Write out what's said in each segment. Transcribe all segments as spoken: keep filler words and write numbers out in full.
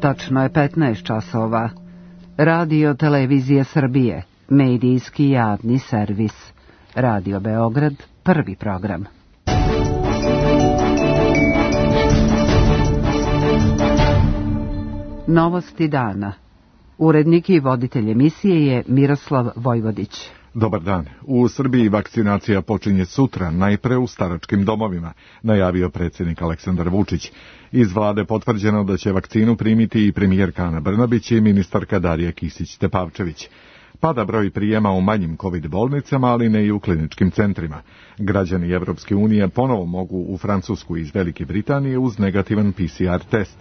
Tačno je petnaest časova. Radio Televizija Srbije, medijski javni servis. Radio Beograd, prvi program. Novosti dana. Urednik i voditelj emisije je Miroslav Vojvodić. Dobar dan. U Srbiji vakcinacija počinje sutra, najpre u staračkim domovima, najavio predsjednik Aleksandar Vučić. Iz vlade potvrđeno da će vakcinu primiti i premijerka Ana Brnabić i ministarka Darija Kisić-Tepavčević. Pada broj prijema u manjim kovid bolnicama, ali ne i u kliničkim centrima. Građani Evropske unije ponovo mogu u Francusku iz Velike Britanije uz negativan P C R test.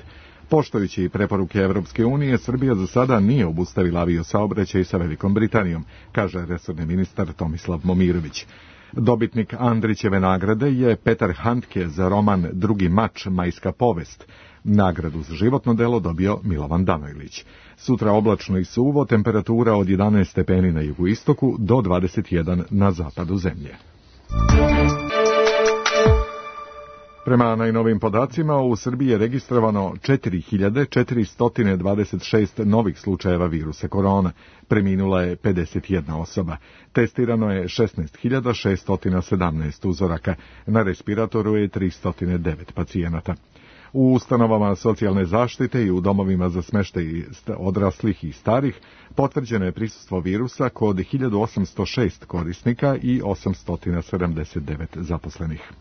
Poštujući preporuke Evropske unije, Srbija za sada nije obustavila aviosaobraćaj sa Velikom Britanijom, kaže resorni ministar Tomislav Momirović. Dobitnik Andrićeve nagrade je Petar Handke za roman Drugi mač, majska povest. Nagradu za životno delo dobio Milovan Danojlić. Sutra oblačno i suvo, temperatura od jedanaest stepeni na jugoistoku do dvadeset jedan na zapadu zemlje. Prema najnovim podacima, u Srbiji je registrovano četiri hiljade četiristo dvadeset šest novih slučajeva virusa korona. Preminula je pedeset jedna osoba. Testirano je šesnaest hiljada šesto sedamnaest uzoraka. Na respiratoru je tristo devet pacijenata. U ustanovama socijalne zaštite i u domovima za smještaj odraslih i starih potvrđeno je prisustvo virusa kod hiljadu osamsto šest korisnika i osamsto sedamdeset devet zaposlenih.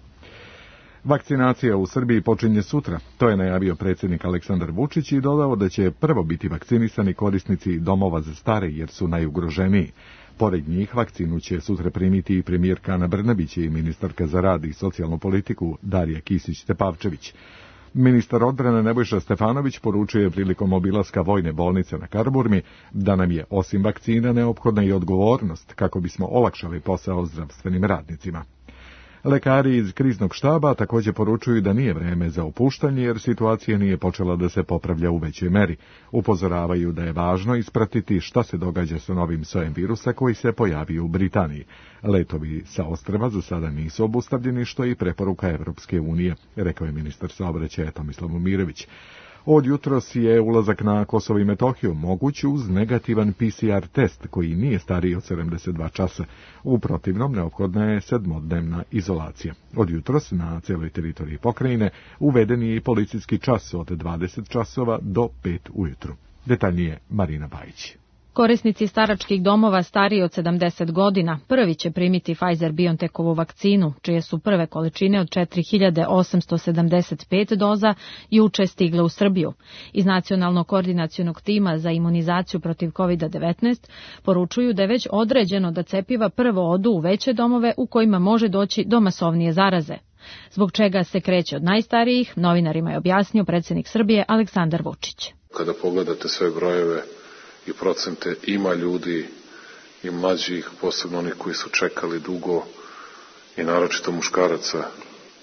Vakcinacija u Srbiji počinje sutra, to je najavio predsjednik Aleksandar Vučić i dodao da će prvo biti vakcinisani korisnici domova za stare jer su najugroženiji. Pored njih vakcinu će sutra primiti i premijerka Ana Brnabić i ministarka za rad i socijalnu politiku Darija Kisić-Tepavčević. Ministar odbrane Nebojša Stefanović poručuje prilikom obilaska vojne bolnice na Karaburmi da nam je osim vakcina neophodna i odgovornost kako bismo olakšali posao zdravstvenim radnicima. Lekari iz kriznog štaba također poručuju da nije vreme za opuštanje jer situacija nije počela da se popravlja u većoj meri. Upozoravaju da je važno ispratiti šta se događa sa novim sojem virusa koji se pojavio u Britaniji. Letovi sa ostrva za sada nisu obustavljeni, što je i preporuka Evropske unije, rekao je ministar saobraćaja Tomislav Momirović. Od jutros je ulazak na Kosovo i Metohiju moguć uz negativan P C R test koji nije stariji od sedamdeset dva časa. U protivnom neophodna je sedmodnevna izolacija. Od jutros na cijeloj teritoriji pokrajine uveden je i policijski čas od dvadeset časova do pet ujutru. Detaljnije Marina Bajić. Korisnici staračkih domova stariji od sedamdeset godina prvi će primiti Pfizer-BioNTechovu vakcinu, čije su prve količine od četiri hiljade osamsto sedamdeset pet doza juče stigle u Srbiju. Iz Nacionalnog koordinacionog tima za imunizaciju protiv kovid devetnaest poručuju da je već određeno da cepiva prvo odu u veće domove u kojima može doći do masovnije zaraze. Zbog čega se kreće od najstarijih, novinarima je objasnio predsjednik Srbije Aleksandar Vučić. Kada pogledate sve brojeve i procente, ima ljudi i mlađih, posebno oni koji su čekali dugo i naročito muškaraca,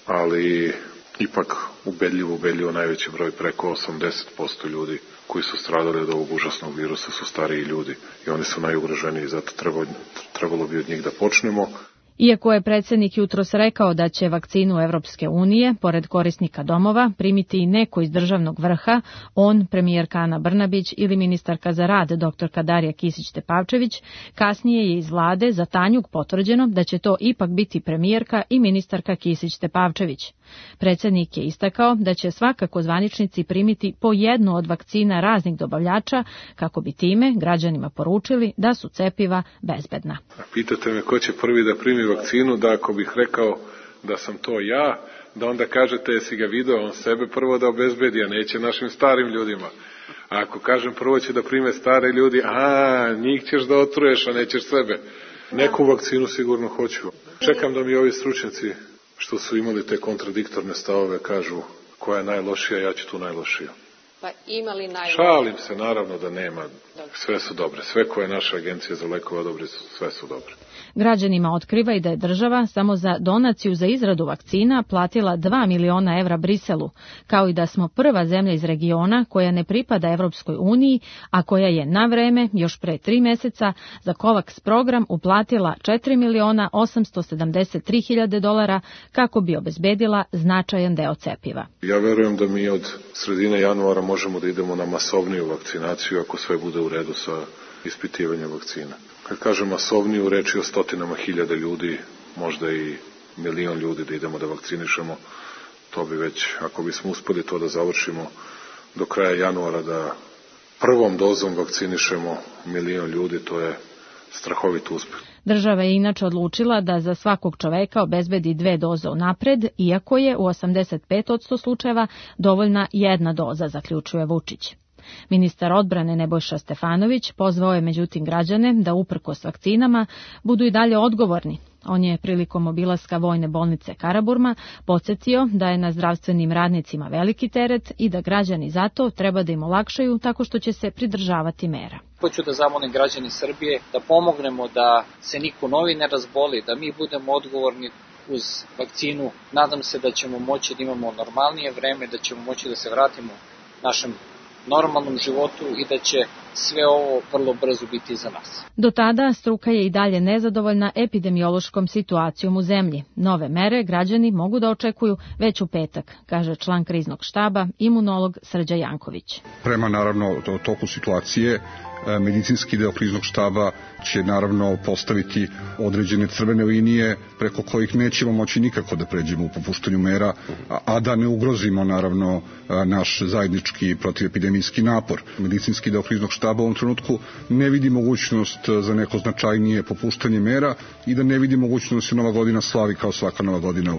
ali ipak ubedljivo, ubedljivo najveći broj, preko osamdeset posto ljudi koji su stradali od ovog užasnog virusa su stariji ljudi i oni su najugroženiji, zato trebalo, trebalo bi od njih da počnemo. Iako je predsjednik jutros rekao da će vakcinu Evropske unije, pored korisnika domova, primiti i neko iz državnog vrha, on, premijerka Ana Brnabić ili ministarka za rad doktorka Darija Kisić-Tepavčević, kasnije je iz vlade za Tanjug potvrđeno da će to ipak biti premijerka i ministarka Kisić-Tepavčević. Predsjednik je istakao da će svakako zvaničnici primiti po jednu od vakcina raznih dobavljača kako bi time građanima poručili da su cepiva bezbedna. Pitate me ko će prvi da primi vakcinu, da ako bih rekao da sam to ja, da onda kažete jesi ga video, on sebe prvo da obezbedi, a neće našim starim ljudima. A ako kažem prvo će da prime stare ljudi, a njih ćeš da otruješ, a nećeš sebe. Neku vakcinu sigurno hoću. Čekam da mi ovi stručnjaci što su imali te kontradiktorne stavove kažu koja je najlošija, ja ću tu najlošiju. Pa ima li najlošija? Šalim se, naravno da nema. Sve su dobre. Sve koje naša agencija za lekove odobri, sve su dobre. Građanima otkriva i da je država samo za donaciju za izradu vakcina platila dva miliona evra Briselu, kao i da smo prva zemlja iz regiona koja ne pripada Evropskoj uniji, a koja je na vreme, još pre tri meseca, za COVAX program uplatila četiri miliona osamsto sedamdeset tri hiljade dolara kako bi obezbedila značajan deo cepiva. Ja verujem da mi od sredine januara možemo da idemo na masovniju vakcinaciju ako sve bude u redu sa ispitivanjem vakcina. Kad kažem masovniju, reč je o stotinama hiljada ljudi, možda i milion ljudi da idemo da vakcinišemo. To bi već, ako bismo uspeli to da završimo do kraja januara, da prvom dozom vakcinišemo milion ljudi, to je strahovit uspeh. Država je inače odlučila da za svakog čoveka obezbedi dve doze unapred, iako je u osamdeset pet posto slučajeva dovoljna jedna doza, zaključuje Vučić. Ministar odbrane Nebojša Stefanović pozvao je međutim građane da uprkos vakcinama budu i dalje odgovorni. On je prilikom obilaska vojne bolnice Karaburma podsjetio da je na zdravstvenim radnicima veliki teret i da građani zato treba da im olakšaju tako što će se pridržavati mera. Hoću da zamolim građani Srbije da pomognemo da se niko novi ne razboli, da mi budemo odgovorni uz vakcinu. Nadam se da ćemo moći da imamo normalnije vreme, da ćemo moći da se vratimo našem normalnom životu i da će sve ovo vrlo brzo biti za nas. Do tada struka je i dalje nezadovoljna epidemiološkom situacijom u zemlji. Nove mere građani mogu da očekuju već u petak, kaže član kriznog štaba, imunolog Srđa Janković. Prema naravno toku situacije, medicinski deo kriznog štaba će naravno postaviti određene crvene linije preko kojih nećemo moći nikako da pređemo u popuštanju mera, a da ne ugrozimo naravno naš zajednički protivepidemijski napor. Medicinski deo kriznog štaba u ovom trenutku ne vidi mogućnost za neko značajnije popuštanje mera i da ne vidi mogućnost da se Nova godina slavi kao svaka Nova godina.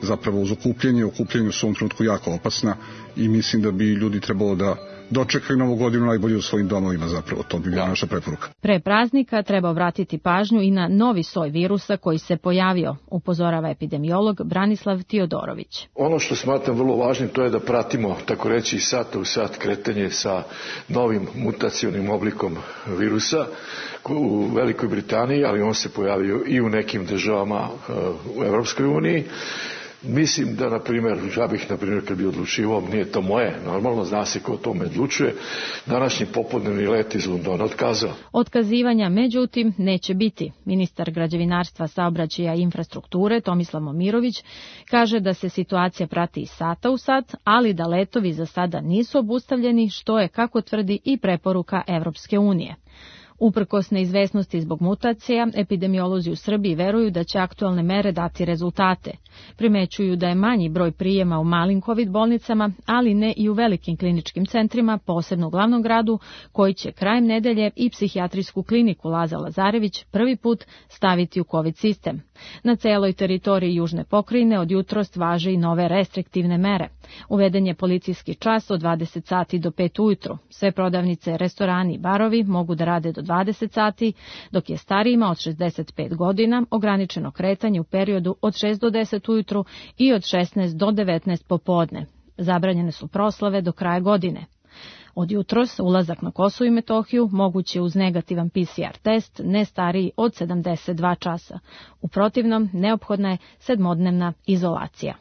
Zapravo uz okupljanje, okupljanje su u ovom trenutku jako opasna i mislim da bi ljudi trebalo da dočekaju Novu godinu najbolje u svojim domovima, zapravo to bi bila naša preporuka. Pre praznika treba obratiti pažnju i na novi soj virusa koji se pojavio, upozorava epidemiolog Branislav Tiodorović. Ono što smatram vrlo važnim to je da pratimo, tako reći, sat u sat kretanje sa novim mutacionim oblikom virusa u Velikoj Britaniji, ali on se pojavio i u nekim državama u Evropskoj uniji. Mislim da, na primjer, ja bih, na primjer, kad bi odlučivao, nije to moje, normalno, zna se ko o tome odlučuje, današnji popodnevni let iz Londona otkazao. Otkazivanja, međutim, neće biti. Ministar građevinarstva, saobraćaja i infrastrukture, Tomislav Momirović, kaže da se situacija prati iz sata u sat, ali da letovi za sada nisu obustavljeni, što je, kako tvrdi, i preporuka Evropske unije. Uprkos neizvesnosti zbog mutacija, epidemiolozi u Srbiji veruju da će aktualne mere dati rezultate. Primećuju da je manji broj prijema u malim COVID bolnicama, ali ne i u velikim kliničkim centrima, posebno u glavnom gradu, koji će krajem nedelje i psihijatrijsku kliniku Laza Lazarević prvi put staviti u COVID sistem. Na celoj teritoriji južne pokrajine od jutros važe i nove restriktivne mere. Uveden je policijski čas od dvadeset sati do pet ujutru. Sve prodavnice, restorani i barovi mogu da rade do dvadeset sati, dok je starijima od šezdeset pet godina ograničeno kretanje u periodu od šest do deset ujutru i od šesnaest do devetnaest popodne. Zabranjene su proslave do kraja godine. Od jutros ulazak na Kosovo i Metohiju moguće uz negativan P C R test ne stariji od sedamdeset dva časa. U protivnom, neophodna je sedmodnevna izolacija.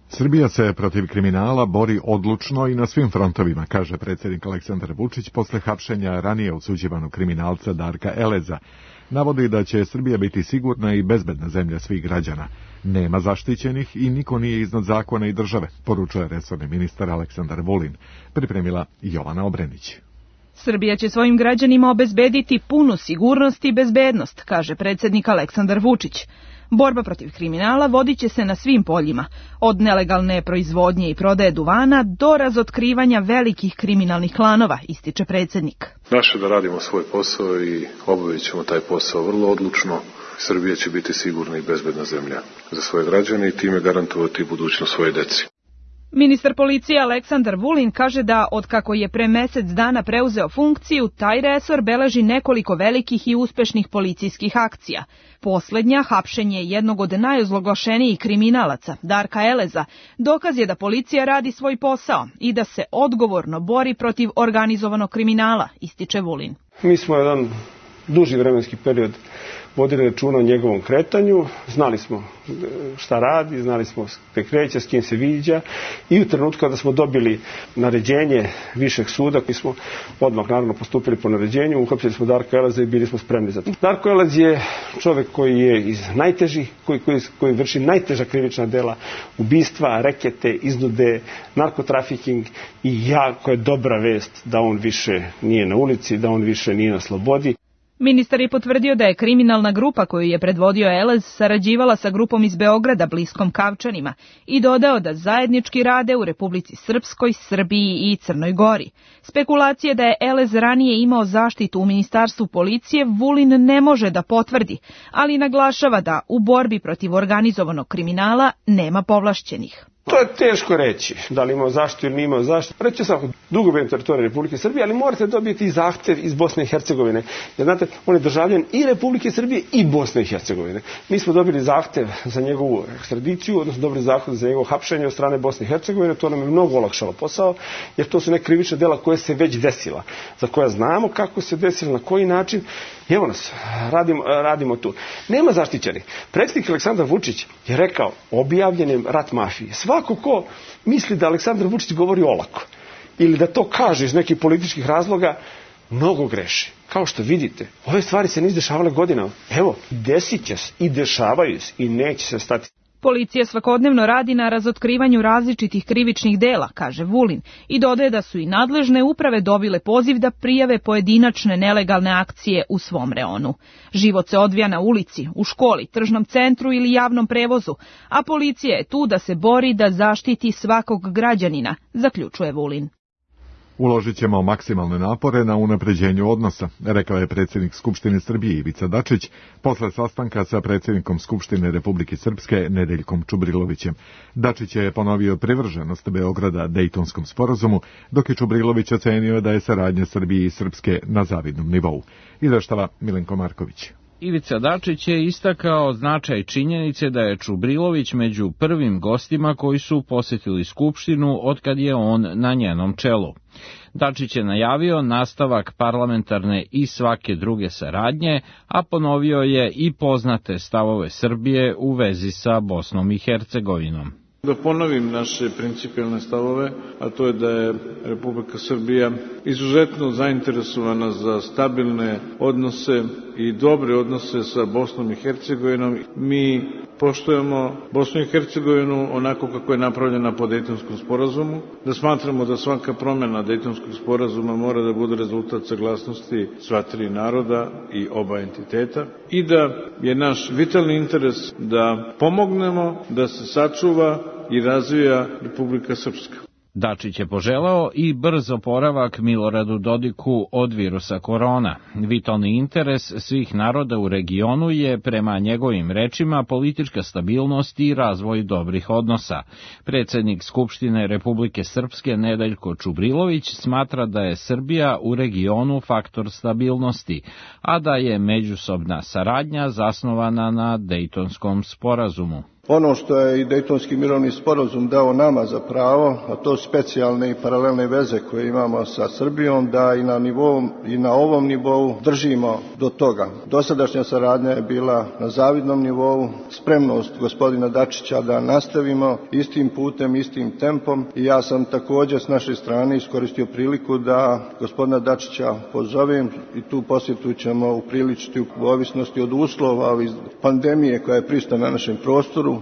Srbija se protiv kriminala bori odlučno i na svim frontovima, kaže predsjednik Aleksandar Vučić posle hapšenja ranije osuđivanog kriminalca Darka Eleza. Navodi da će Srbija biti sigurna i bezbedna zemlja svih građana. Nema zaštićenih i niko nije iznad zakona i države, poručuje resorni ministar Aleksandar Vulin. Pripremila Jovana Obrenić. Srbija će svojim građanima obezbediti punu sigurnost i bezbednost, kaže predsjednik Aleksandar Vučić. Borba protiv kriminala vodit će se na svim poljima, od nelegalne proizvodnje i prodaje duvana do razotkrivanja velikih kriminalnih klanova, ističe predsjednik. Naše da radimo svoj posao i obavit ćemo taj posao vrlo odlučno. Srbija će biti sigurna i bezbedna zemlja za svoje građane i time garantovati budućnost svoje deci. Ministar policije Aleksandar Vulin kaže da od kako je pre mesec dana preuzeo funkciju, taj resor beleži nekoliko velikih i uspešnih policijskih akcija. Poslednja, hapšenje jednog od najozloglašenijih kriminalaca, Darka Eleza, dokaz je da policija radi svoj posao i da se odgovorno bori protiv organizovanog kriminala, ističe Vulin. Mi smo jedan duži vremenski period vodili računa o njegovom kretanju, znali smo šta radi, znali smo gde kreće, s kim se viđa i u trenutku kada smo dobili naređenje višeg suda, koji smo odmah naravno postupili po naređenju, uhapsili smo Darka Eleza i bili smo spremni za to. Darko Elez je čovek koji je iz najtežih, koji, koji, koji vrši najteža krivična dela, ubistva, rekete, iznude, narkotrafiking i jako je dobra vest da on više nije na ulici, da on više nije na slobodi. Ministar je potvrdio da je kriminalna grupa koju je predvodio Elez sarađivala sa grupom iz Beograda bliskom Kavčanima i dodao da zajednički rade u Republici Srpskoj, Srbiji i Crnoj Gori. Spekulacije da je Elez ranije imao zaštitu u Ministarstvu policije Vulin ne može da potvrdi, ali naglašava da u borbi protiv organizovanog kriminala nema povlašćenih. To je teško reći, da li imao zaštitu ili nije imao zaštitu. Reći svako dugo bio na teritoriji Republike Srbije, ali morate dobiti i zahtev iz Bosne i Hercegovine. Jer znate, on je državljan i Republike Srbije i Bosne i Hercegovine. Mi smo dobili zahtev za njegovu ekstradiciju, odnosno dobili zahtev za njegovo hapšenje od strane Bosne i Hercegovine. To nam je mnogo olakšalo posao, jer to su neka krivična dela koje se već desila, za koja znamo kako se desila, na koji način. I evo nas, radimo, radimo tu. Nema zaštićenih. Predsjednik Aleksandar Vučić je rekao objavljen je rat mafije. Svako ko misli da Aleksandar Vučić govori olako ili da to kaže iz nekih političkih razloga, mnogo greši. Kao što vidite, ove stvari se nisu dešavale godinama. Evo, desit će se i dešavaju se i neće se stati. Policija svakodnevno radi na razotkrivanju različitih krivičnih dela, kaže Vulin, i dodaje da su i nadležne uprave dobile poziv da prijave pojedinačne nelegalne akcije u svom reonu. Život se odvija na ulici, u školi, tržnom centru ili javnom prevozu, a policija je tu da se bori da zaštiti svakog građanina, zaključuje Vulin. Uložit ćemo maksimalne napore na unapređenju odnosa, rekao je predsjednik Skupštine Srbije Ivica Dačić posle sastanka sa predsjednikom Skupštine Republike Srpske Nedeljkom Čubrilovićem. Dačić je ponovio privrženost Beograda Dejtonskom sporazumu, dok je Čubrilović ocenio da je saradnja Srbije i Srpske na zavidnom nivou. Izveštava Milenko Marković. Ivica Dačić je istakao značaj činjenice da je Čubrilović među prvim gostima koji su posjetili Skupštinu otkad je on na njenom čelu. Dačić je najavio nastavak parlamentarne i svake druge saradnje, a ponovio je i poznate stavove Srbije u vezi sa Bosnom i Hercegovinom. Da ponovim naše principijelne stavove, a to je da je Republika Srbija izuzetno zainteresovana za stabilne odnose i dobre odnose sa Bosnom i Hercegovinom. Mi poštujemo Bosnu i Hercegovinu onako kako je napravljena po Dejtonskom sporazumu, da smatramo da svaka promjena Dejtonskog sporazuma mora da bude rezultat saglasnosti sva tri naroda i oba entiteta i da je naš vitalni interes da pomognemo da se sačuva i razvija Republika Srpska. Dačić je poželao i brz oporavak Miloradu Dodiku od virusa korona. Vitalni interes svih naroda u regionu je, prema njegovim rečima, politička stabilnost i razvoj dobrih odnosa. Predsjednik Skupštine Republike Srpske Nedeljko Čubrilović smatra da je Srbija u regionu faktor stabilnosti, a da je međusobna saradnja zasnovana na Dejtonskom sporazumu. Ono što je i Dejtonski mirovni sporazum dao nama za pravo, a to specijalne i paralelne veze koje imamo sa Srbijom, da i na, nivou, i na ovom nivou držimo do toga. Dosadašnja saradnja je bila na zavidnom nivou, spremnost gospodina Dačića da nastavimo istim putem, istim tempom i ja sam također s naše strane iskoristio priliku da gospodina Dačića pozovem i tu posjetu ćemo upriličiti u ovisnosti od uslova iz pandemije koja je prisutna na našem prostoru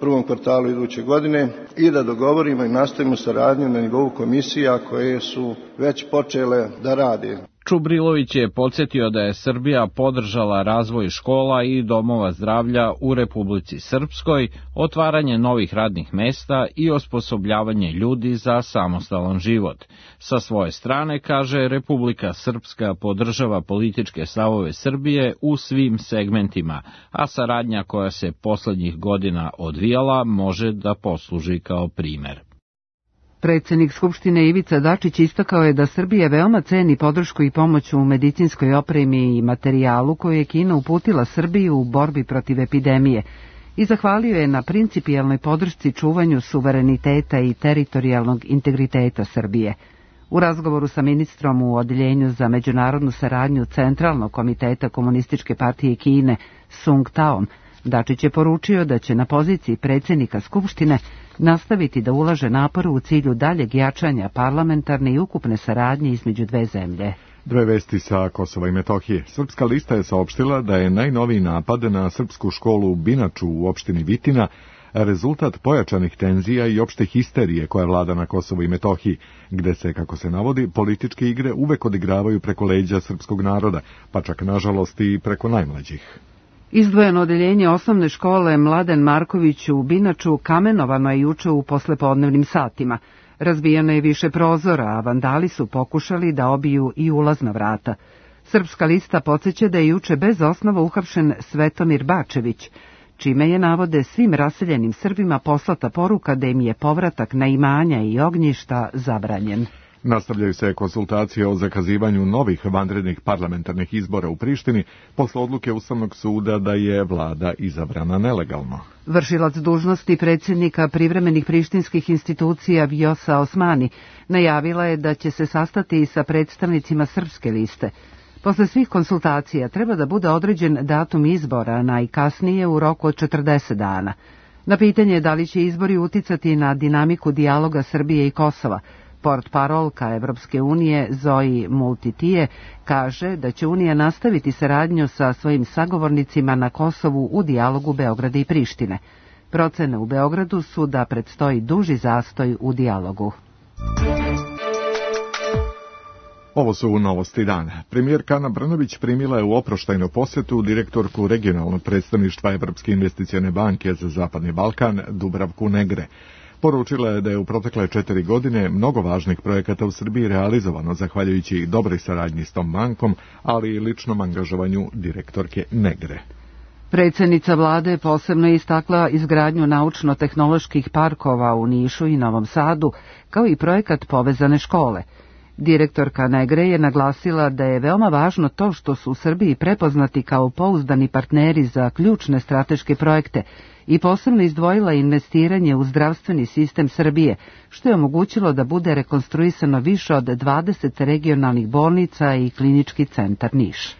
prvom kvartalu iduće godine i da dogovorimo i nastavimo saradnju na nivou komisija koje su već počele da rade. Čubrilović je podsjetio da je Srbija podržala razvoj škola i domova zdravlja u Republici Srpskoj, otvaranje novih radnih mesta i osposobljavanje ljudi za samostalan život. Sa svoje strane, kaže, Republika Srpska podržava političke stavove Srbije u svim segmentima, a saradnja koja se poslednjih godina odvijala može da posluži kao primer. Predsjednik Skupštine Ivica Dačić istakao je da Srbija veoma ceni podršku i pomoć u medicinskoj opremi i materijalu koju je Kina uputila Srbiju u borbi protiv epidemije i zahvalio je na principijelnoj podršci čuvanju suvereniteta i teritorijalnog integriteta Srbije. U razgovoru sa ministrom u Odeljenju za međunarodnu saradnju Centralnog komiteta Komunističke partije Kine Sung Taom, Dačić je poručio da će na poziciji predsjednika Skupštine nastaviti da ulaže napor u cilju daljeg jačanja parlamentarne i ukupne saradnje između dve zemlje. Dve vesti sa Kosova i Metohije. Srpska lista je saopštila da je najnoviji napad na srpsku školu u Binaču u opštini Vitina rezultat pojačanih tenzija i opšte histerije koja vlada na Kosovu i Metohiji, gde se, kako se navodi, političke igre uvek odigravaju preko leđa srpskog naroda, pa čak nažalost i preko najmlađih. Izdvojeno odeljenje osnovne škole Mladen Marković u Binaču kamenovano je juče u poslepodnevnim satima. Razbijeno je više prozora, a vandali su pokušali da obiju i ulazna vrata. Srpska lista podsjeća da je juče bez osnova uhapšen Svetomir Bačević, čime je, navode, svim raseljenim Srbima poslata poruka da im je povratak na imanja i ognjišta zabranjen. Nastavljaju se konsultacije o zakazivanju novih vanrednih parlamentarnih izbora u Prištini posle odluke Ustavnog suda da je vlada izabrana nelegalno. Vršilac dužnosti predsjednika privremenih prištinskih institucija Vjosa Osmani najavila je da će se sastati sa predstavnicima srpske liste. Posle svih konsultacija treba da bude određen datum izbora, najkasnije u roku od četrdeset dana. Na pitanje da li će izbori uticati na dinamiku dijaloga Srbije i Kosova, portparolka Evropske unije Zoji Multitije kaže da će Unija nastaviti saradnju sa svojim sagovornicima na Kosovu u dijalogu Beograda i Prištine. Procene u Beogradu su da predstoji duži zastoj u dijalogu. Ovo su novosti dana. Premijerka Ana Brnabić primila je u oproštajnu posjetu direktorku regionalnog predstavništva Evropske investicione banke za Zapadni Balkan Dubravku Negre. Poručila je da je u protekle četiri godine mnogo važnih projekata u Srbiji realizovano zahvaljujući dobroj saradnji s tom bankom, ali i ličnom angažovanju direktorke Negre. Predsjednica vlade posebno je istakla izgradnju naučno-tehnoloških parkova u Nišu i Novom Sadu, kao i projekat Povezane škole. Direktorka Negre je naglasila da je veoma važno to što su u Srbiji prepoznati kao pouzdani partneri za ključne strateške projekte i posebno izdvojila investiranje u zdravstveni sistem Srbije, što je omogućilo da bude rekonstruisano više od dvadeset regionalnih bolnica i klinički centar Niš.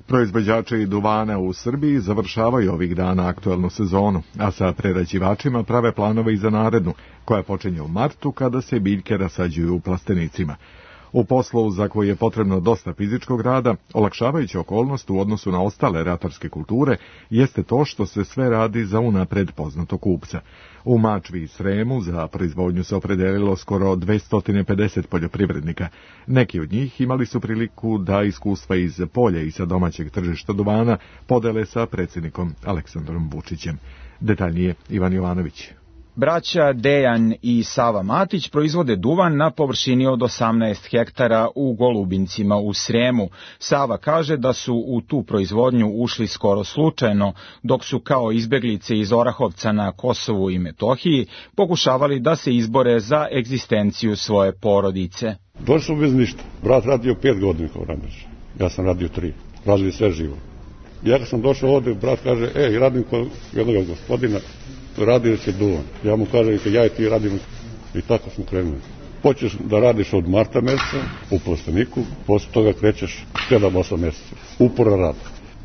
Proizvođači duvana u Srbiji završavaju ovih dana aktuelnu sezonu, a sa prerađivačima prave planove i za narednu, koja počinje u martu kada se biljke rasađuju u plastenicima. U poslu za koji je potrebno dosta fizičkog rada, olakšavajuća okolnost u odnosu na ostale ratarske kulture jeste to što se sve radi za unapred poznatog kupca. U Mačvi i Sremu za proizvodnju se opredelilo skoro dvesta pedeset poljoprivrednika. Neki od njih imali su priliku da iskustva iz polja i sa domaćeg tržišta duvana podele sa predsjednikom Aleksandrom Vučićem. Detaljnije Ivan Jovanović. Braća Dejan i Sava Matić proizvode duvan na površini od osamnaest hektara u Golubincima u Sremu. Sava kaže da su u tu proizvodnju ušli skoro slučajno, dok su kao izbeglice iz Orahovca na Kosovu i Metohiji pokušavali da se izbore za egzistenciju svoje porodice. Došli smo bez ništa. Brat radio pet godina kao radnič. Ja sam radio tri. Radili sve živo. Ja kad sam došao ovde, brat kaže, ej, radim kod jednog gospodina, radi će duvan. Ja mu kažem, ja i ti radimo. I tako smo krenuli. Počeš da radiš od marta meseca u plasteniku, posle toga krećeš sedam osam meseca. Upora rada.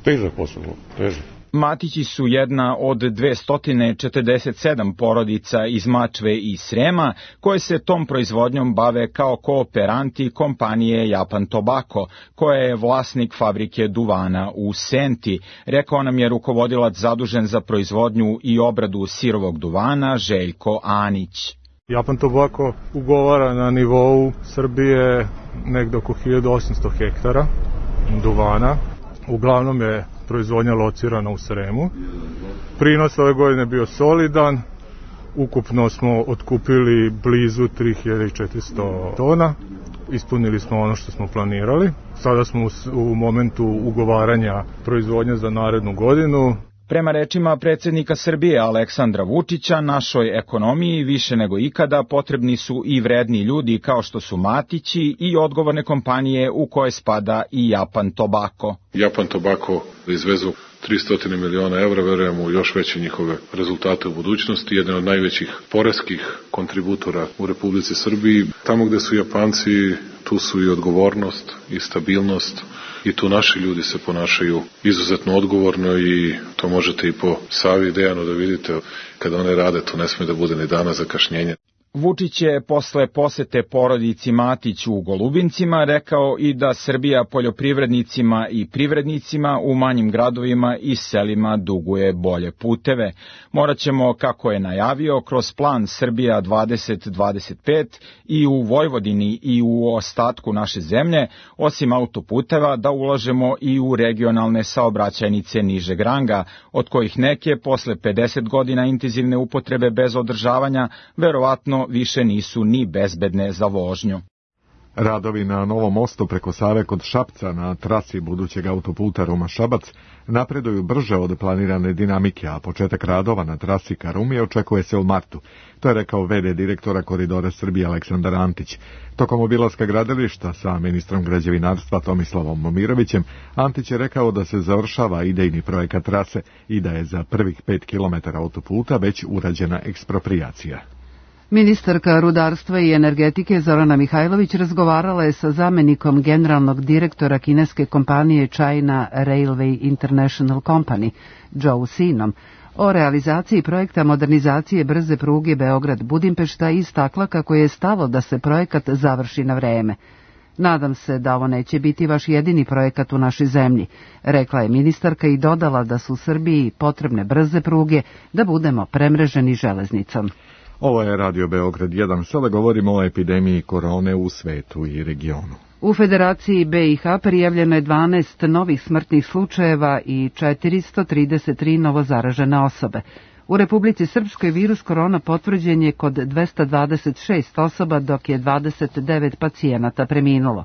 Težak posao, težak. Matići su jedna od dvesta četrdeset sedam porodica iz Mačve i Srema koje se tom proizvodnjom bave kao kooperanti kompanije Japan Tobacco, koja je vlasnik fabrike duvana u Senti, rekao nam je rukovodilac zadužen za proizvodnju i obradu sirovog duvana Željko Anić. Japan Tobacco ugovara na nivou Srbije negde oko hiljadu osamsto hektara duvana. Uglavnom je proizvodnja locirana u Sremu. Prinos ove godine je bio solidan. Ukupno smo otkupili blizu tri hiljade četiristo tona. Ispunili smo ono što smo planirali. Sada smo u momentu ugovaranja proizvodnje za narednu godinu. Prema rečima predsjednika Srbije Aleksandra Vučića, našoj ekonomiji više nego ikada potrebni su i vredni ljudi kao što su Matići i odgovorne kompanije u koje spada i Japan Tobacco. Japan Tobacco izvezu tristo miliona evra, verujem u još veće njihove rezultate u budućnosti, jedan od najvećih poreskih kontributora u Republici Srbiji. Tamo gde su Japanci, tu su i odgovornost i stabilnost i tu naši ljudi se ponašaju izuzetno odgovorno i to možete i po Savi i Dejanu da vidite kada one rade, to ne sme da bude ni dana zakašnjenja. Vučić je posle posete porodici Matić u Golubincima rekao i da Srbija poljoprivrednicima i privrednicima u manjim gradovima i selima duguje bolje puteve. Morat ćemo, kako je najavio, kroz plan Srbija dvadeset dvadeset pet i u Vojvodini i u ostatku naše zemlje, osim autoputeva, da ulažemo i u regionalne saobraćajnice nižeg ranga, od kojih neke posle pedeset godina intenzivne upotrebe bez održavanja verovatno više nisu ni bezbedne za vožnju. Radovi na novom mostu preko Save kod Šapca na trasi budućeg autoputa Ruma-Šabac napreduju brže od planirane dinamike, a početak radova na trasi ka Rumi očekuje se u martu. To je rekao ve de direktora Koridora Srbije Aleksandar Antić. Tokom obilaska gradilišta sa ministrom građevinarstva Tomislavom Momirovićem, Antić je rekao da se završava idejni projekat trase i da je za prvih pet kilometara autoputa već urađena eksproprijacija. Ministarka rudarstva i energetike Zorana Mihajlović razgovarala je sa zamenikom generalnog direktora kineske kompanije China Railway International Company, Joe Sinom, o realizaciji projekta modernizacije brze pruge Beograd-Budimpešta i istakla kako je stalo da se projekat završi na vreme. Nadam se da ovo neće biti vaš jedini projekat u našoj zemlji, rekla je ministarka i dodala da su u Srbiji potrebne brze pruge da budemo premreženi železnicom. Ovo je Radio Beograd jedan, sada govorimo o epidemiji korone u svetu i regionu. U Federaciji be i ha prijavljeno je dvanaest novih smrtnih slučajeva i četiristo trideset tri novozaražene osobe. U Republici Srpskoj virus korona potvrđen je kod dvesta dvadeset šest osoba, dok je dvadeset devet pacijenata preminulo.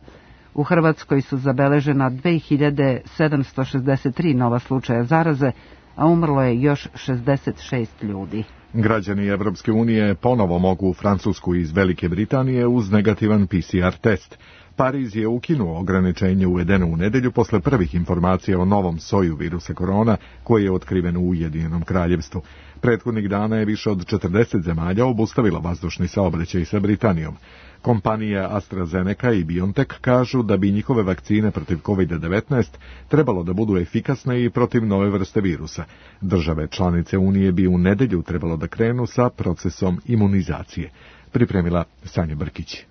U Hrvatskoj su zabeležena dve hiljade sedamsto šezdeset tri nova slučaja zaraze, a umrlo je još šezdeset šest ljudi. Građani Evropske unije ponovo mogu u Francusku iz Velike Britanije uz negativan pe ce er test. Pariz je ukinuo ograničenje uvedeno u nedelju posle prvih informacija o novom soju virusa korona koji je otkriven u Ujedinjenom kraljevstvu. Prethodnih dana je više od četrdeset zemalja obustavila vazdušni saobraćaj sa Britanijom. Kompanije AstraZeneca i BioNTech kažu da bi njihove vakcine protiv kovid devetnaest trebalo da budu efikasne i protiv nove vrste virusa. Države članice Unije bi u nedelju trebalo da krenu sa procesom imunizacije. Pripremila Sanja Brkić.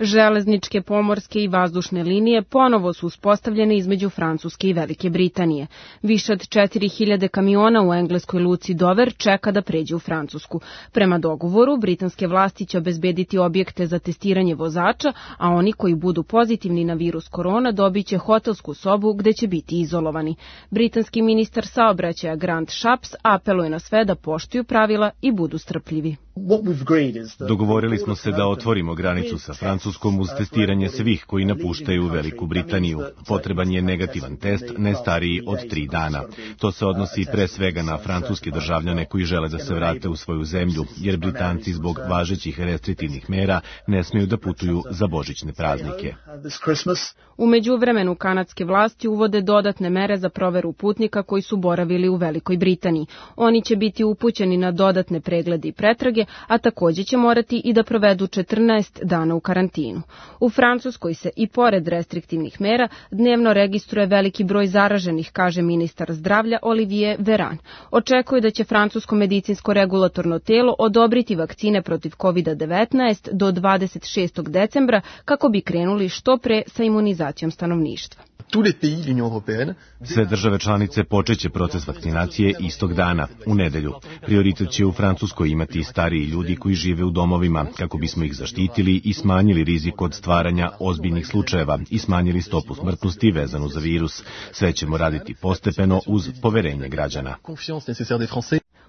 Železničke, pomorske i vazdušne linije ponovo su uspostavljene između Francuske i Velike Britanije. Više od četiri hiljade kamiona u engleskoj luci Dover čeka da pređe u Francusku. Prema dogovoru, britanske vlasti će obezbediti objekte za testiranje vozača, a oni koji budu pozitivni na virus korona dobit će hotelsku sobu gde će biti izolovani. Britanski ministar saobraćaja Grant Shapps apeluje na sve da poštuju pravila i budu strpljivi. Dogovorili smo se da otvorimo granicu sa Francuskom uz testiranje svih koji napuštaju Veliku Britaniju. Potreban je negativan test, ne stariji od tri dana. To se odnosi pre svega na francuske državljane koji žele da se vrate u svoju zemlju, jer Britanci zbog važećih restriktivnih mera ne smiju da putuju za božićne praznike. U međuvremenu kanadske vlasti uvode dodatne mere za proveru putnika koji su boravili u Velikoj Britaniji. Oni će biti upućeni na dodatne preglede i pretrage, a takođe će morati i da provedu četrnaest dana u karantinu. U Francuskoj se i pored restriktivnih mera dnevno registruje veliki broj zaraženih, kaže ministar zdravlja Olivier Véran. Očekuje da će francusko medicinsko regulatorno telo odobriti vakcine protiv kovid devetnaest do dvadeset šestog decembra kako bi krenuli što pre sa imunizacijom stanovništva. Sve države članice počeće proces vakcinacije istog dana, u nedelju. Prioritet će u Francuskoj imati stariji ljudi koji žive u domovima, kako bismo ih zaštitili i smanjili rizik od stvaranja ozbiljnih slučajeva i smanjili stopu smrtnosti vezanu za virus. Sve ćemo raditi postepeno uz poverenje građana.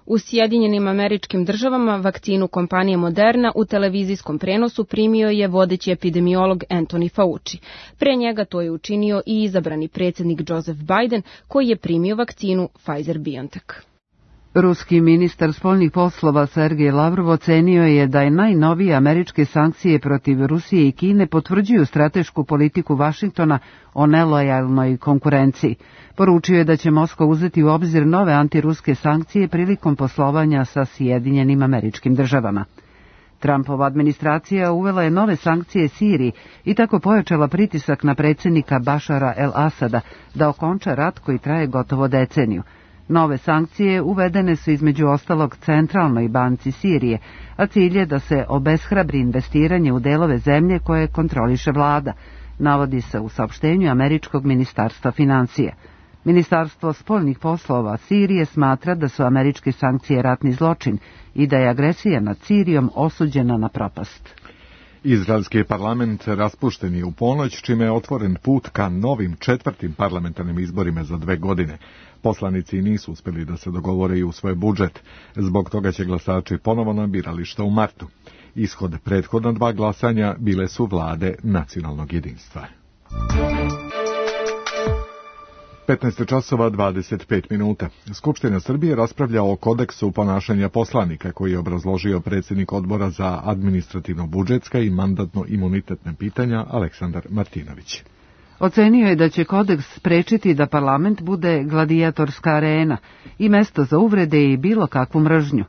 U Sjedinjenim Američkim Državama vakcinu kompanije Moderna u televizijskom prenosu primio je vodeći epidemiolog Anthony Fauci. Pre njega to je učinio i izabrani predsjednik Joseph Biden, koji je primio vakcinu Pfizer-BioNTech. Ruski ministar spoljnih poslova Sergej Lavrov ocenio je da je najnovije američke sankcije protiv Rusije i Kine potvrđuju stratešku politiku Vašingtona o nelojalnoj konkurenciji. Poručio je da će Moskva uzeti u obzir nove antiruske sankcije prilikom poslovanja sa Sjedinjenim Američkim Državama. Trumpova administracija uvela je nove sankcije Siriji i tako pojačala pritisak na predsjednika Bašara el-Asada da okonča rat koji traje gotovo deceniju. Nove sankcije uvedene su između ostalog Centralnoj banci Sirije, a cilj je da se obeshrabri investiranje u delove zemlje koje kontroliše vlada, navodi se u saopštenju Američkog ministarstva financija. Ministarstvo spoljnih poslova Sirije smatra da su američke sankcije ratni zločin i da je agresija nad Sirijom osuđena na propast. Izraelski parlament raspušten je u ponoć, čime je otvoren put ka novim četvrtim parlamentarnim izborima za dve godine. Poslanici nisu uspjeli da se dogovore i u svoj budžet. Zbog toga će glasači ponovo na birališta u martu. Ishod prethodna dva glasanja bile su vlade nacionalnog jedinstva. petnaest časova dvadeset pet minuta. Skupština Srbije raspravlja o kodeksu ponašanja poslanika koji je obrazložio predsjednik odbora za administrativno-budžetska i mandatno-imunitetne pitanja Aleksandar Martinović. Ocenio je da će kodeks sprečiti da parlament bude gladijatorska arena i mesto za uvrede i bilo kakvu mržnju.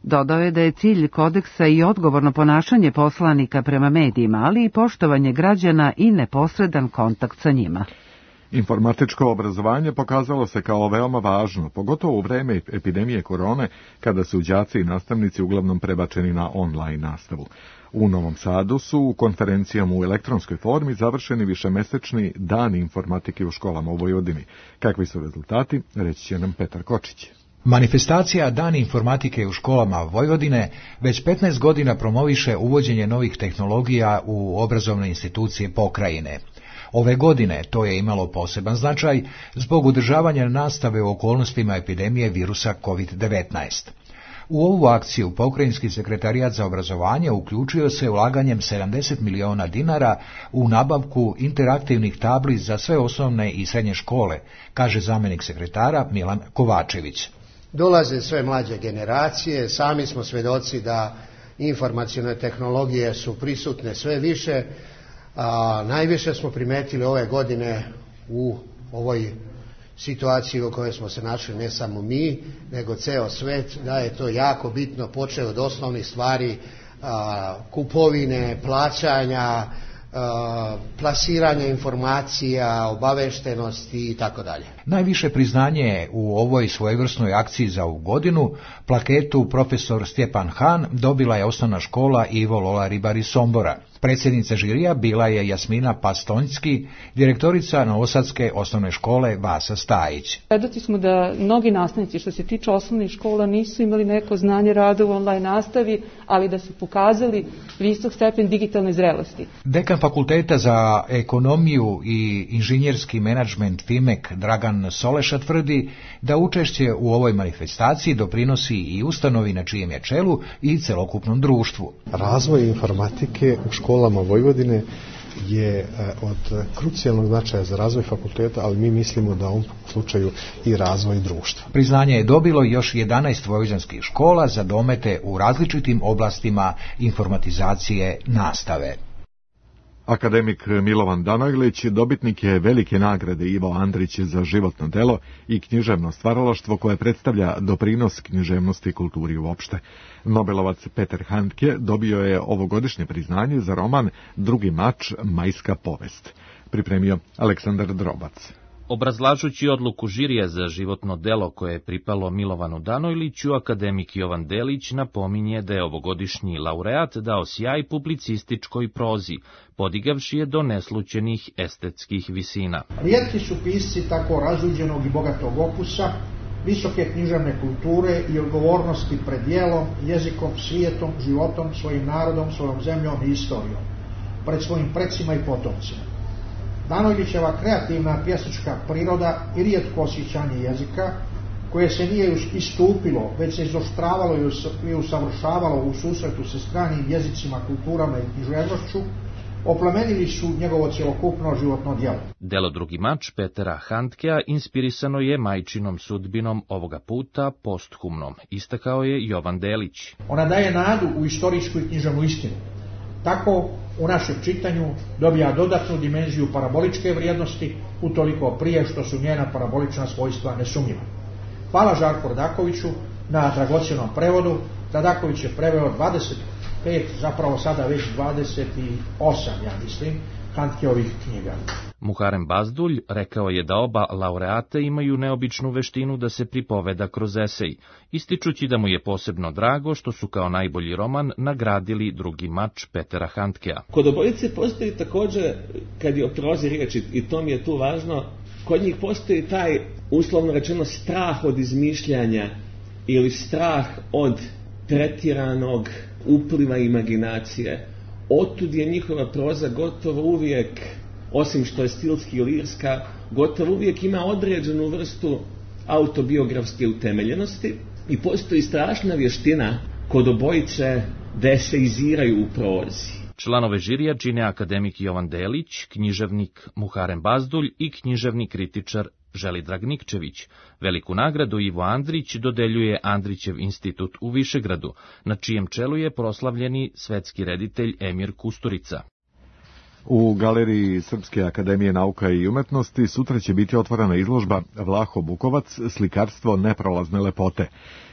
Dodao je da je cilj kodeksa i odgovorno ponašanje poslanika prema medijima, ali i poštovanje građana i neposredan kontakt sa njima. Informatičko obrazovanje pokazalo se kao veoma važno, pogotovo u vreme epidemije korone, kada su đaci i nastavnici uglavnom prebačeni na online nastavu. U Novom Sadu su konferencijom u elektronskoj formi završeni višemesečni dani informatike u školama u Vojvodini. Kakvi su rezultati, reći će nam Petar Kočić. Manifestacija Dani informatike u školama Vojvodine već petnaest godina promoviše uvođenje novih tehnologija u obrazovne institucije pokrajine. Ove godine to je imalo poseban značaj zbog održavanja nastave u okolnostima epidemije virusa kovid devetnaest. U ovu akciju pokrajinski sekretarijat za obrazovanje uključio se ulaganjem sedamdeset miliona dinara u nabavku interaktivnih tabli za sve osnovne i srednje škole, kaže zamjenik sekretara Milan Kovačević. Dolaze sve mlađe generacije, sami smo svedoci da informacione tehnologije su prisutne sve više, a najviše smo primetili ove godine u ovoj situaciji u kojoj smo se našli ne samo mi, nego ceo svet, da je to jako bitno, počeo od osnovnih stvari, a, kupovine, plaćanja, a, plasiranja informacija, obaveštenosti i tako dalje. Najviše priznanje u ovoj svojevrsnoj akciji za ovu godinu, plaketu profesor Stjepan Han dobila je osnovna škola Ivo Lola Ribar iz Sombora. Predsjednica žirija bila je Jasmina Pastonjski, direktorica Novosadske osnovne škole Vasa Stajić. Svedoci smo da mnogi nastavnici što se tiče osnovnih škola nisu imali neko znanje rada u online nastavi, ali da su pokazali visok stepen digitalne zrelosti. Dekan fakulteta za ekonomiju i inženjerski menadžment FIMEK Dragan Soleša tvrdi da učešće u ovoj manifestaciji doprinosi i ustanovi na čijem je čelu i celokupnom društvu. Razvoj informatike u školama Vojvodine je od krucijalnog značaja za razvoj fakulteta, ali mi mislimo da u ovom slučaju i razvoj društva. Priznanje je dobilo još jedanaest vojvođanskih škola za domete u različitim oblastima informatizacije nastave. Akademik Milovan Danojlić dobitnik je velike nagrade Ivo Andrić za životno delo i književno stvaralaštvo koje predstavlja doprinos književnosti i kulturi uopšte. Nobelovac Peter Handke dobio je ovogodišnje priznanje za roman Drugi mač, majska povest. Pripremio Aleksandar Drobac. Obrazlažući odluku žirija za životno delo koje je pripalo Milovanu Danojliću, akademik Jovan Delić napominje da je ovogodišnji laureat dao sjaj publicističkoj prozi, podigavši je do neslućenih estetskih visina. Rijetki su pisci tako razuđenog i bogatog opusa, visoke književne kulture i odgovornosti pred djelom, jezikom, svijetom, životom, svojim narodom, svojom zemljom i istorijom, pred svojim precima i potomcima. Danojlićeva kreativna pjesnička priroda i rijetko osjećanje jezika koje se nije istupilo, već se izoštravalo i usavršavalo u susretu sa stranim jezicima, kulturama i književnošću, oplemenili su njegovo cjelokupno životno djelo. Delo Drugi mač Petera Handkea inspirisano je majčinom sudbinom ovoga puta posthumnom, istakao je Jovan Delić. Ona daje nadu u istorijsku i književnu istinu. Tako u našem čitanju dobija dodatnu dimenziju paraboličke vrijednosti, utoliko prije što su njena parabolična svojstva nesumnjiva. Hvala Žarku Radakoviću na dragocjenom prevodu. Radaković je preveo dvadeset pet, zapravo sada već dvadeset osam, ja mislim, Handkeovih knjiga. Muharem Bazdulj rekao je da oba laureata imaju neobičnu veštinu da se pripoveda kroz esej, ističući da mu je posebno drago što su kao najbolji roman nagradili Drugi mač Petera Handkea. Kod obojice postoji također, kad je o prozi riječ, i to mi je tu važno, kod njih postoji taj, uslovno rečeno, strah od izmišljanja ili strah od pretjeranog upliva imaginacije. Otud je njihova proza gotovo uvijek, osim što je stilski i lirska, gotovo uvijek ima određenu vrstu autobiografske utemeljenosti i postoji strašna vještina kod obojice da eseiziraju u prozi. Članove žirija čine akademik Jovan Delić, književnik Muharem Bazdulj i književni kritičar Želidrag Nikčević. Veliku nagradu Ivo Andrić dodeljuje Andrićev institut u Višegradu, na čijem čelu je proslavljeni svetski reditelj Emir Kusturica. U galeriji Srpske akademije nauka i umetnosti sutra će biti otvorena izložba Vlaho Bukovac, slikarstvo neprolazne lepote.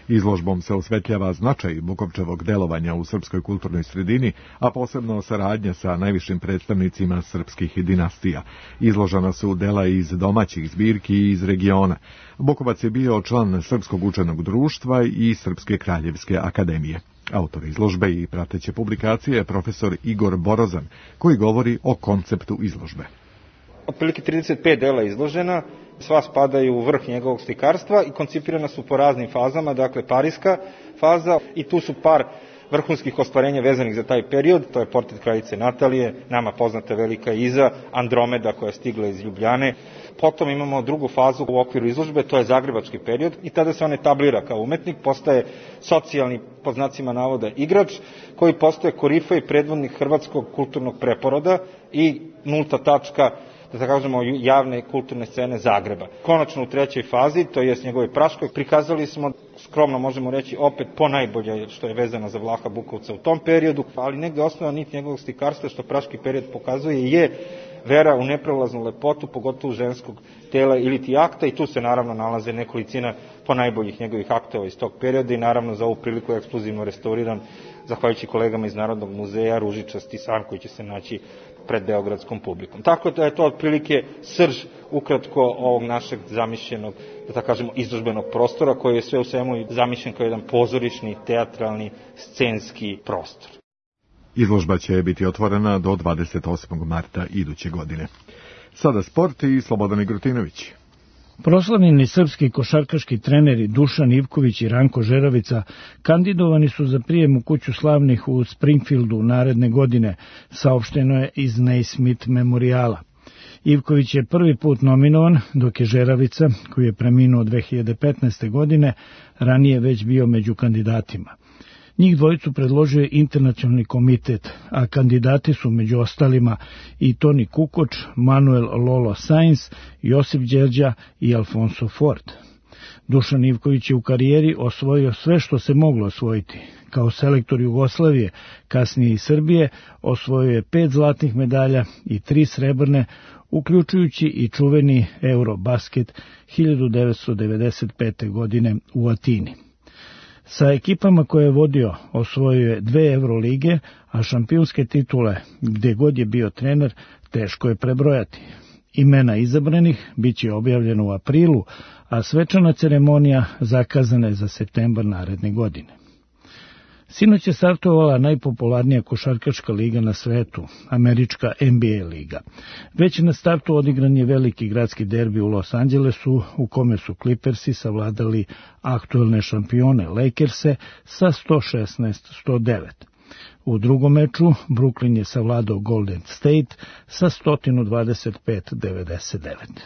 Izložbom se osvetljava značaj Bukovčevog delovanja u srpskoj kulturnoj sredini, a posebno saradnja sa najvišim predstavnicima srpskih dinastija. Izložena su dela iz domaćih zbirki i iz regiona. Bukovac je bio član Srpskog učenog društva i Srpske kraljevske akademije. Autor izložbe i prateće publikacije je profesor Igor Borozan, koji govori o konceptu izložbe. Otprilike trideset pet dela izložena, sva spadaju u vrh njegovog slikarstva i koncipirana su po raznim fazama, dakle parijska faza, i tu su par vrhunskih ostvarenja vezanih za taj period, to je portret kraljice Natalije, nama poznata Velika Iza, Andromeda koja je stigla iz Ljubljane. Potom imamo drugu fazu u okviru izložbe, to je zagrebački period, i tada se on etablira kao umetnik, postaje socijalni, po znacima navoda, igrač, koji postaje korifej predvodnik hrvatskog kulturnog preporoda i nulta tačka, da kažemo, javne kulturne scene Zagreba. Konačno u trećoj fazi, to jest njegove Praškoj, prikazali smo, skromno možemo reći, opet po najbolje što je vezano za Vlaha Bukovca u tom periodu, ali negde osnovna nit njegovog slikarstva što Praški period pokazuje je vera u neprolaznu lepotu, pogotovo ženskog tela ili ti akta, i tu se naravno nalaze nekolicina po najboljih njegovih aktova iz tog perioda i naravno za ovu priliku je ekskluzivno restauriran, zahvaljujući kolegama iz Narodnog muzeja, ružičasti san koji će se naći pred beogradskom publikom. Tako da je to otprilike srž ukratko ovog našeg zamišljenog, da tako kažemo, izložbenog prostora koji je sve u svemu zamišljen kao jedan pozorišni, teatralni, scenski prostor. Izložba će biti otvorena do dvadeset osmog marta iduće godine. Sada sport i Slobodan Igrutinović. Proslavljeni srpski košarkaški treneri Dušan Ivković i Ranko Žeravica kandidovani su za prijem u kuću slavnih u Springfieldu naredne godine, saopšteno je iz Naismith memorijala. Ivković je prvi put nominovan, dok je Žeravica, koji je preminuo dve hiljade petnaeste. godine, ranije već bio među kandidatima. Njih dvojicu predložio je internacionalni komitet, a kandidati su među ostalima i Toni Kukoč, Manuel Lolo Sainz, Josip Đerđa i Alfonso Ford. Dušan Ivković je u karijeri osvojio sve što se moglo osvojiti. Kao selektor Jugoslavije, kasnije i Srbije, osvojio je pet zlatnih medalja i tri srebrne, uključujući i čuveni Eurobasket hiljadu devetsto devedeset pete. godine u Atini. Sa ekipama koje je vodio osvojio je dve Eurolige, a šampionske titule, gdje god je bio trener, teško je prebrojati. Imena izabranih bit će objavljeno u aprilu, a svečana ceremonija zakazana je za septembar naredne godine. Sinoć je startovala najpopularnija košarkaška liga na svetu, američka N B A liga. Već na startu odigran je veliki gradski derbi u Los Angelesu, u kome su Clippersi savladali aktuelne šampione Lakerse sa sto šesnaest sto devet. U drugom meču Brooklyn je savladao Golden State sa sto dvadeset pet devedeset devet.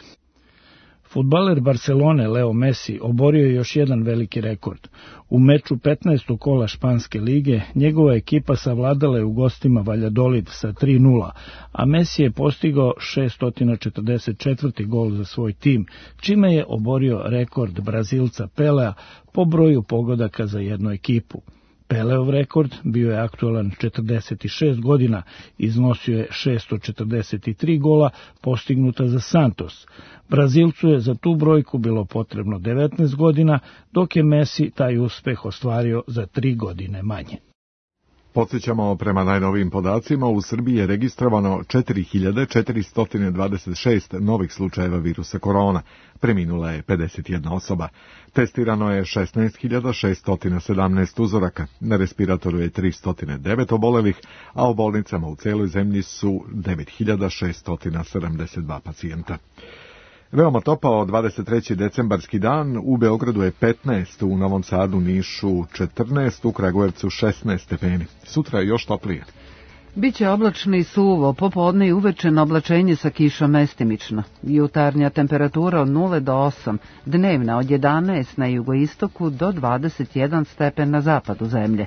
Fudbaler Barcelone Leo Messi oborio je još jedan veliki rekord. U meču petnaestog kola Španske lige njegova ekipa savladala je u gostima Valladolid sa tri nula, a Messi je postigao šesto četrdeset četvrti gol za svoj tim, čime je oborio rekord Brazilca Pelea po broju pogodaka za jednu ekipu. Peleov rekord bio je aktualan četrdeset šest godina, iznosio je šesto četrdeset tri gola postignuta za Santos. Brazilcu je za tu brojku bilo potrebno devetnaest godina, dok je Messi taj uspeh ostvario za tri godine manje. Podsjećamo, prema najnovijim podacima, u Srbiji je registrovano četiri hiljade četiristo dvadeset šest novih slučajeva virusa korona. Preminula je pedeset jedna osoba. Testirano je šesnaest hiljada šesto sedamnaest uzoraka. Na respiratoru je tristo devet obolelih, a u bolnicama u celoj zemlji su devet hiljada šesto sedamdeset dva pacijenta. Veoma topao dvadeset treći decembarski dan, u Beogradu je petnaest, u Novom Sadu, Nišu četrnaest, u Kragujevcu šesnaest stepeni. Sutra je još toplije. Biće oblačno i suvo, popodne i uveče na oblačenje sa kišom mestimično. Jutarnja temperatura od nula do osam, dnevna od jedanaest na jugoistoku do dvadeset jedan stepen na zapadu zemlje.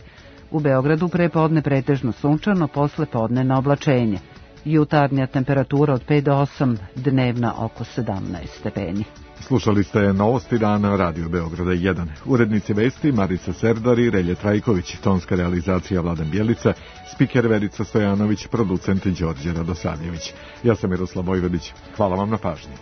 U Beogradu prepodne pretežno sunčano, posle podne na oblačenje. Jutarnja temperatura od pet do osam, dnevna oko sedamnaest stepeni. Slušali ste Novosti dana Radio Beograda jedan. Urednici vesti Marica Serdar i Relje Trajković, tonska realizacija Vladan Bjelica, spiker Verica Stojanović, producent Đorđe Radosavljević. Ja sam Miroslav Vojvodić. Hvala vam na pažnji.